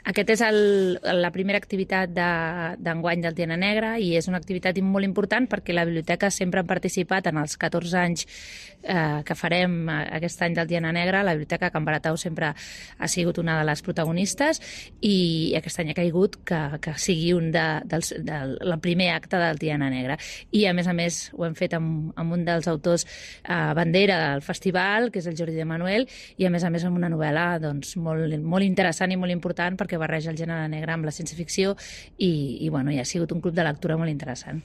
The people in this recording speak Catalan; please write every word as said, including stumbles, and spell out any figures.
Aquest és el, la primera activitat d'enguany de, del Diana Negra i és una activitat molt important perquè la biblioteca sempre ha participat en els catorze anys eh, que farem aquest any del Diana Negra. La biblioteca Can Baratau sempre ha sigut una de les protagonistes i aquest any ha caigut que, que sigui un de, dels, del, el primer acte del Diana Negra. I a més a més ho hem fet amb, amb un dels autors eh, bandera del festival, que és el Jordi de Manuel, i a més a més amb una novel·la doncs, molt, molt interessant i molt important perquè barreja el gènere negre amb la ciència-ficció i, i, bueno, i ha sigut un club de lectura molt interessant.